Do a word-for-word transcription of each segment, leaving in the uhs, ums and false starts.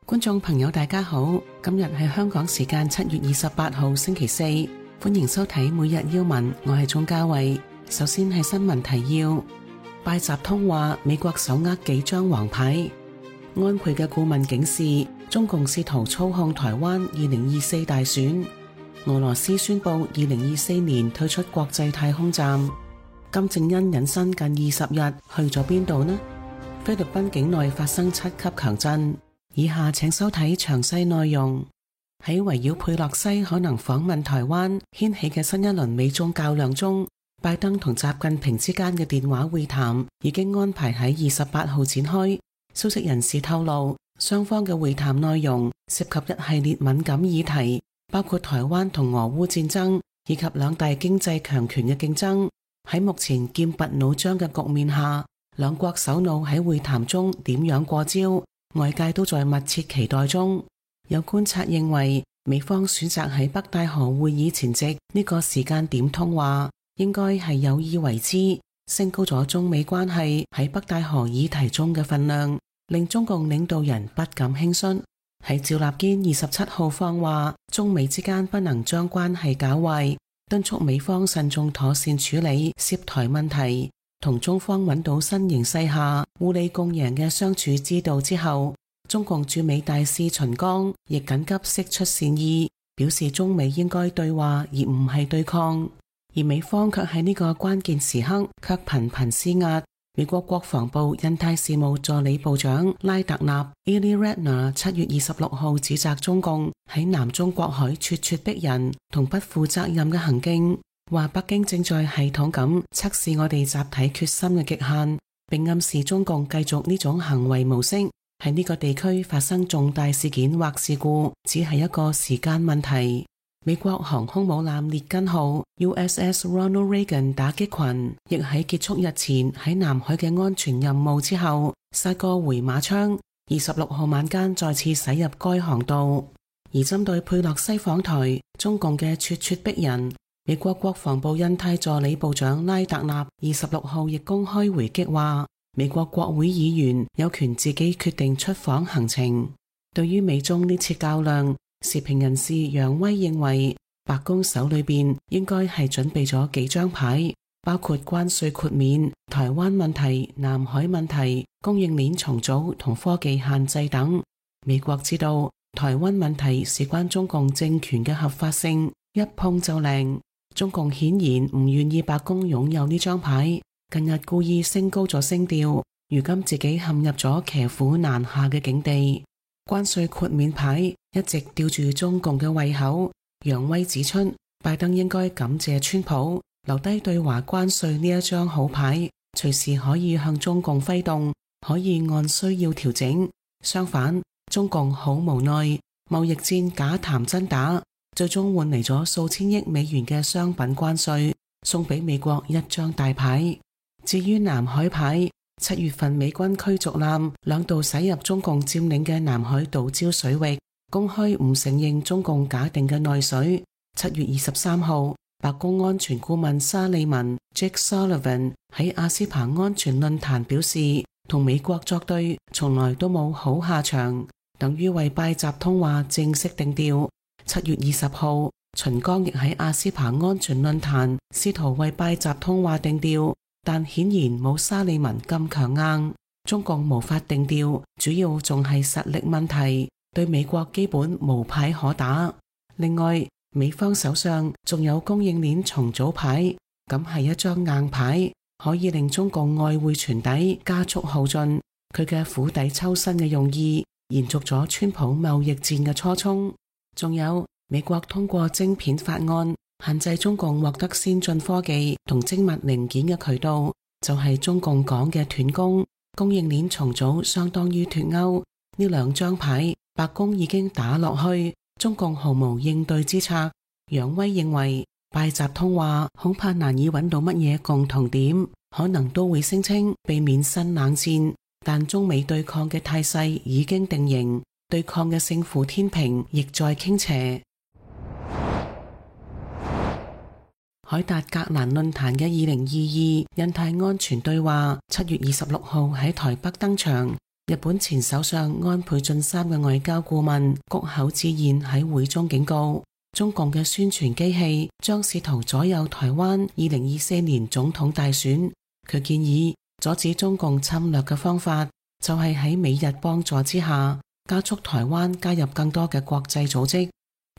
觀眾朋友大家好，今日係香港時間七月二十八號星期四，歡迎收睇每日要聞，我係鍾嘉慧。首先係新聞提要，拜習通話美國手握幾張黃牌，安倍嘅顧問警示中共試圖操控台灣二零二四大選，俄羅斯宣布二零二四年退出國際太空站，金正恩隱身近二十日去咗邊度呢？菲律賓境內發生七級強震。以下請收睇詳細內容。喺圍繞佩洛西可能訪問台灣掀起嘅新一輪美中較量中，拜登同習近平之間嘅電話會談已經安排喺二十八號展開。消息人士透露，雙方嘅會談內容涉及一系列敏感議題，包括台灣同俄烏戰爭以及兩大經濟強權嘅競爭。喺目前劍拔弩張嘅局面下，兩國首腦喺會談中點樣過招，外界都在密切期待中。有觀察認為，美方選擇喺北戴河會議前夕呢個時間點通話，應該係有意為之，升高咗中美關係喺北戴河議題中嘅分量，令中共領導人不敢輕率。喺趙立堅二十七號放話，中美之間不能將關係搞壞，敦促美方慎重妥善處理涉台問題，同中方揾到新形勢下互利共贏嘅相處之道之後，中共駐美大使秦剛亦緊急釋出善意，表示中美應該對話而唔係對抗。而美方卻喺呢個關鍵時刻卻頻頻施壓。美國國防部印太事務助理部長拉特納 Ely Ratner 七月二十六號指責中共喺南中國海咄咄逼人同不負責任嘅行徑，話北京正在系統咁測試我哋集體決心嘅極限，並暗示中共繼續呢種行為模式喺呢個地區發生重大事件或事故，只係一個時間問題。美國航空母艦列根號 U S S Ronald Reagan 打擊群亦喺結束日前喺南海嘅安全任務之後，殺個回馬槍，二十六號晚間再次駛入該航道。而針對佩洛西訪台，中共嘅咄咄逼人，美國國防部印太助理部長拉特納二十六號亦公開回擊話，美國國會議員有權自己決定出訪行程。對於美中呢次較量，時評人士楊威認為，白宮手裏邊應該係準備咗幾張牌，包括關稅豁免、台灣問題、南海問題、供應鏈重組同科技限制等。美國知道台灣問題事關中共政權嘅合法性，一碰就靈。中共顯然唔願意白宮擁有呢張牌，近日故意升高咗聲調，如今自己陷入咗騎虎難下嘅境地。關稅豁免牌一直吊住中共嘅胃口。楊威指出，拜登應該感謝川普留低對華關稅呢一張好牌，隨時可以向中共揮動，可以按需要調整。相反，中共好無奈，貿易戰假談真打，最終換嚟咗數千億美元嘅商品關稅，送俾美國一張大牌。至於南海牌，七月份美軍驅逐艦兩度駛入中共佔領嘅南海島礁水域，公開唔承認中共假定嘅內水。七月二十三號，白宮安全顧問沙利文 Jake Sullivan 喺阿斯彭安全論壇表示，同美國作對從來都冇好下場，等於為拜習通話正式定調。七月二十號，秦剛亦喺阿斯彭安全論壇試圖為拜習通話定調，但顯然冇沙利文咁強硬。中共無法定調，主要仲係實力問題，對美國基本無牌可打。另外，美方手上仲有供應鏈重組牌，咁係一張硬牌，可以令中共外匯存底加速耗盡。佢嘅釜底抽薪嘅用意，延續咗川普貿易戰嘅初衷。仲有美國通過晶片法案，限制中共獲得先進科技同精密零件嘅渠道，就係中共講嘅斷供。供應鏈重組相當於脫歐，呢兩張牌白宮已經打落去，中共毫無應對之策。楊威認為，拜習通話恐怕難以揾到乜嘢共同點，可能都會聲稱避免新冷戰，但中美對抗嘅態勢已經定型，對抗嘅勝負天平亦在傾斜。凱達格蘭論壇嘅二零二二印太安全對話七月二十六號喺台北登場，日本前首相安倍晉三嘅外交顧問谷口智彥喺會中警告，中共嘅宣傳機器將試圖左右台灣二零二四年總統大選。佢建議阻止中共侵略嘅方法就係喺美日幫助之下，加速台灣加入更多嘅國際組織。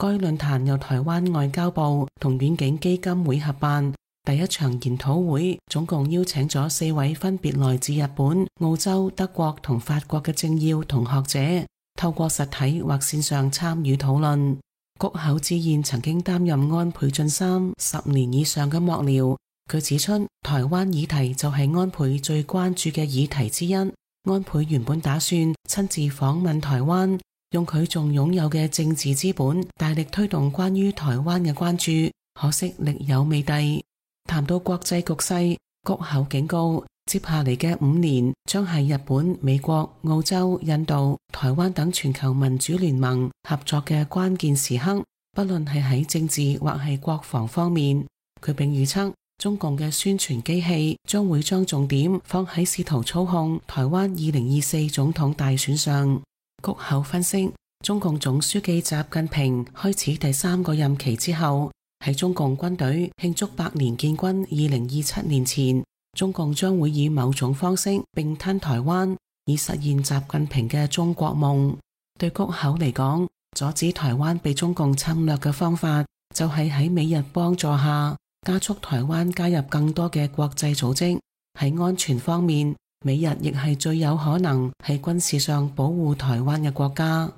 該論壇由台灣外交部同遠景基金會合辦。第一場研討會總共邀請咗四位分別來自日本、澳洲、德國同法國嘅政要同學者，透過實體或線上參與討論。谷口智彥曾經擔任安倍晉三十年以上嘅幕僚，佢指出台灣議題就係安倍最關注嘅議題之一。安倍原本打算親自訪問台灣，用佢仲擁有嘅政治資本大力推動關於台灣嘅關注，可惜力有未逮。談到國際局勢，谷口警告，接下嚟嘅五年將係日本、美國、澳洲、印度、台灣等全球民主聯盟合作嘅關鍵時刻，不論係喺政治或係國防方面。佢並預測，中共嘅宣傳機器將會將重點放喺試圖操控台灣二零二四總統大選上。谷口分析，中共總書記習近平開始第三個任期之後，喺中共軍隊慶祝百年建軍二零二七年前，中共將會以某種方式併吞台灣，以實現習近平嘅中國夢。對谷口嚟講，阻止台灣被中共侵略嘅方法，就係喺美日幫助下，加速台灣加入更多嘅國際組織。喺安全方面，美日亦係最有可能喺軍事上保護台灣嘅國家。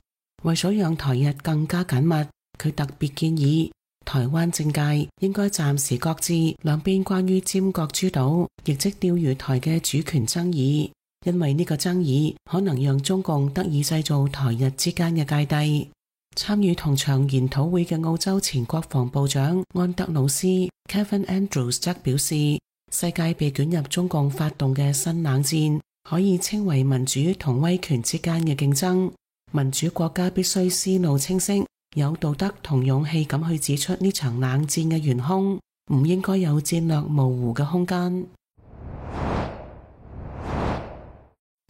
為咗讓台日更加緊密，佢特別建議台灣政界應該暫時擱置兩邊關於尖閣諸島，亦即釣魚台嘅主權爭議，因為呢個爭議可能讓中共得以製造台日之間嘅芥蒂。參與同場研討會嘅澳洲前國防部長安德魯斯 Kevin Andrews 則表示，世界被捲入中共發動嘅新冷戰，可以稱為民主同威權之間嘅競爭。民主國家必須思路清晰，有道德同勇氣咁去指出呢場冷戰嘅元兇，唔應該有戰略模糊嘅空間。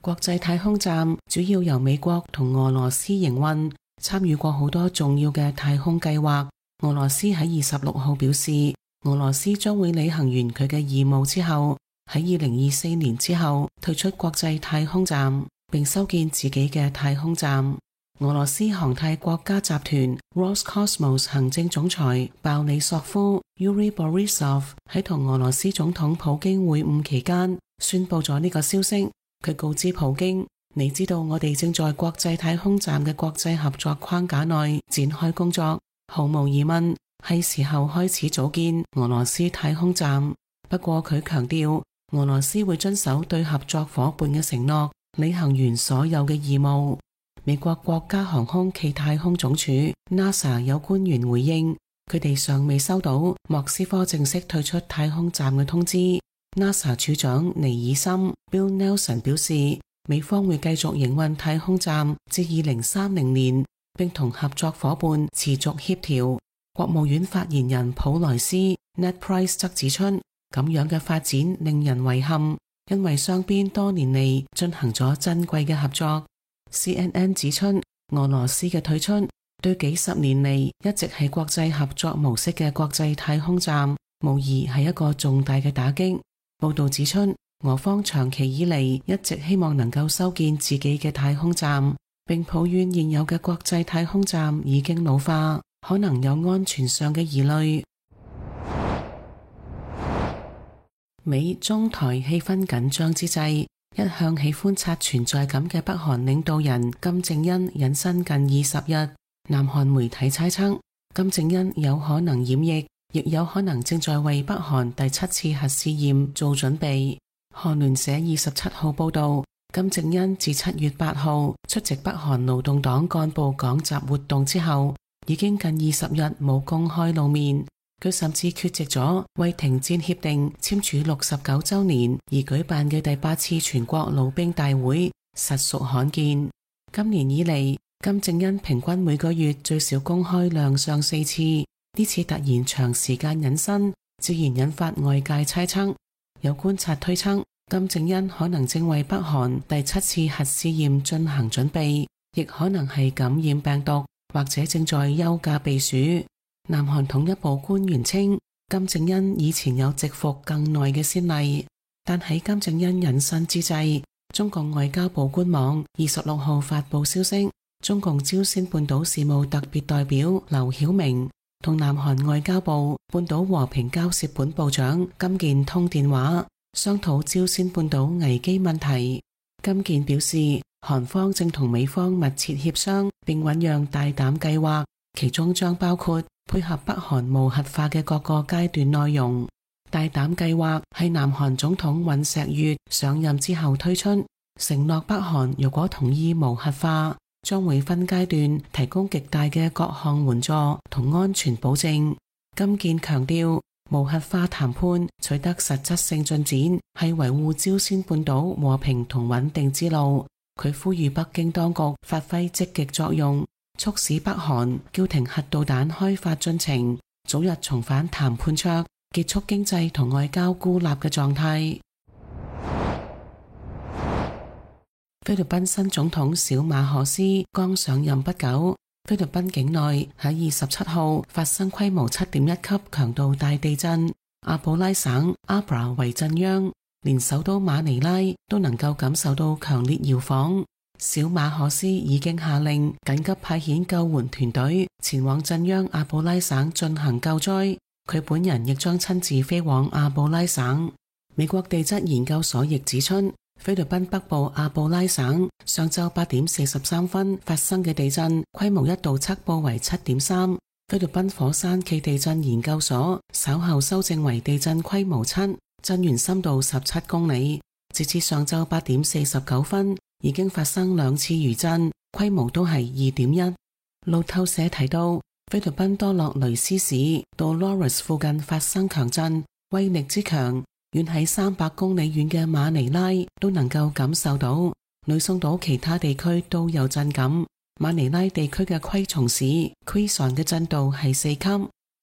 國際太空站主要由美國同俄羅斯營運，參與過好多重要嘅太空計劃。俄羅斯喺二十六號表示，俄羅斯將會履行完佢嘅義務之後，喺二零二四年之後退出國際太空站，並修建自己嘅太空站。俄羅斯航太國家集團 Roscosmos 行政總裁鮑里索夫 Yuri Borisov 喺同俄羅斯總統普京會晤期間宣布咗呢個消息。佢告知普京，你知道我哋正在國際太空站嘅國際合作框架內展開工作，毫無疑問係時候開始組建俄羅斯太空站。不過佢強調，俄羅斯會遵守對合作夥伴嘅承諾，履行完所有嘅義務。美國國家航空暨太空總署 NASA 有官員回應，佢哋尚未收到莫斯科正式退出太空站嘅通知。NASA 處長尼爾森 Bill Nelson 表示，美方會繼續營運太空站至二零三零年，並同合作夥伴持續協調。國務院發言人普萊斯 Ned Price 則指出，咁樣嘅發展令人遺憾，因為雙邊多年嚟進行咗珍貴嘅合作。C N N 指出，俄羅斯嘅退出對幾十年嚟一直係國際合作模式嘅國際太空站，無疑係一個重大嘅打擊。報道指出，俄方長期以嚟一直希望能夠修建自己嘅太空站，並抱怨現有嘅國際太空站已經老化，可能有安全上嘅疑慮。美中台氣氛緊張之際，一向喜歡刷存在感嘅北韓領導人金正恩隱身近二十日，南韓媒體猜測金正恩有可能染疫，亦有可能正在為北韓第七次核試驗做準備。韓聯社二十七號報道，金正恩自七月八號出席北韓勞動黨幹部講習活動之後，已經近二十日冇公開露面。佢甚至缺席咗為停戰協定簽署六十九週年而舉辦嘅第八次全國老兵大會，實屬罕見。今年以嚟，金正恩平均每個月最少公開亮相四次，呢次突然長時間隱身，自然引發外界猜測。有觀察推測，金正恩可能正為北韓第七次核試驗進行準備，亦可能係感染病毒，或者正在休假避暑。南韓統一部官員稱，金正恩以前有蟄伏更耐嘅先例，但喺金正恩隱身之際，中共外交部官網二十六號發布消息，中共朝鮮半島事務特別代表劉曉明同南韓外交部半島和平交涉本部長金健通電話，商討朝鮮半島危機問題。金健表示，韓方正同美方密切協商並醞釀大膽計劃，其中將包括配合北韓無核化嘅各個階段內容。大膽計劃係南韓總統尹錫悅上任之後推出，承諾北韓如果同意無核化，將會分階段提供極大嘅各項援助同安全保證。金健強調，無核化談判取得實質性進展係維護朝鮮半島和平同穩定之路。佢呼籲北京當局發揮積極作用，促使北韓叫停核導彈開發進程，早日重返談判桌，結束經濟同外交孤立嘅狀態。菲律賓新總統小馬可斯剛上任不久，菲律賓境內喺二十七號發生規模七點一級強度大地震，阿布拉省阿布拉為震央，連首都馬尼拉都能夠感受到強烈搖晃。小馬可斯已經下令緊急派遣救援團隊前往震央阿布拉省進行救災，佢本人亦將親自飛往阿布拉省。美國地質研究所亦指出，菲律賓北部阿布拉省上晝八點四十三分發生嘅地震規模一度測報為七點三，菲律賓火山暨地震研究所稍後修正為地震規模七，震源深度十七公里。截至上晝八點四十九分，已經發生兩次餘震，規模都係二點一。路透社提到，菲律賓多洛雷斯市 Dolores 附近發生強震，威力之強，遠喺三百公里遠嘅馬尼拉都能夠感受到。呂宋島其他地區都有震感。馬尼拉地區嘅昆蟲市 Quezon 嘅震度係四級。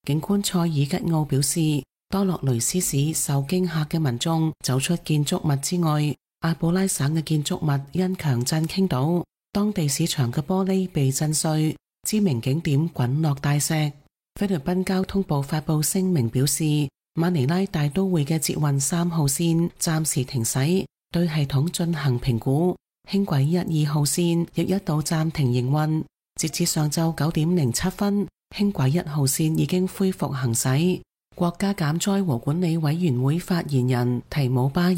警官塞爾吉奧表示，多洛雷斯市受驚嚇嘅民眾走出建築物之外，阿布拉省嘅建築物因強震傾倒，當地市場嘅玻璃被震碎，知名景點滾落大石。菲律賓交通部發布聲明表示，馬尼拉大都會嘅捷運三號線暫時停駛，對系統進行評估。輕軌一二號線亦一度暫停營運。截至上晝九點零七分，輕軌一號線已經恢復行駛。國家減災和管理委員會發言人提姆巴爾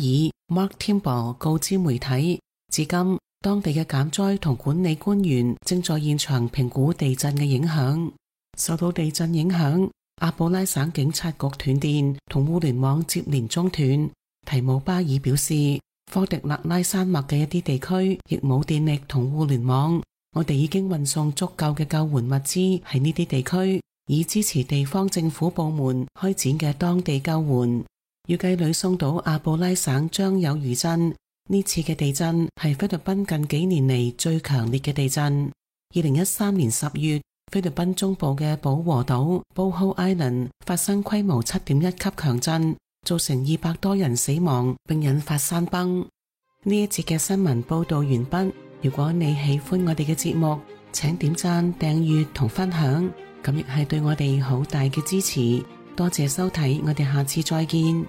Mark Timber 告知媒體，至今當地嘅減災同管理官員正在現場評估地震嘅影響。受到地震影響，阿布拉省警察局斷電同互聯網接連中斷。提姆巴爾表示，科迪勒拉山脈嘅一啲地區亦冇電力同互聯網，我哋已經運送足夠嘅救援物資喺呢啲地區，以支持地方政府部門開展嘅當地救援。預計呂宋島阿布拉省將有餘震，呢次嘅地震係菲律賓近幾年嚟最強烈嘅地震。二零一三年十月，菲律賓中部嘅保和島 Bohol Island 發生規模七點一級強震，造成二百多人死亡，並引發山崩。呢一節嘅新聞報道完畢。如果你喜歡我哋嘅節目，請點讚、訂閱同分享，咁亦係對我哋好大嘅支持。多謝收睇，我哋下次再見。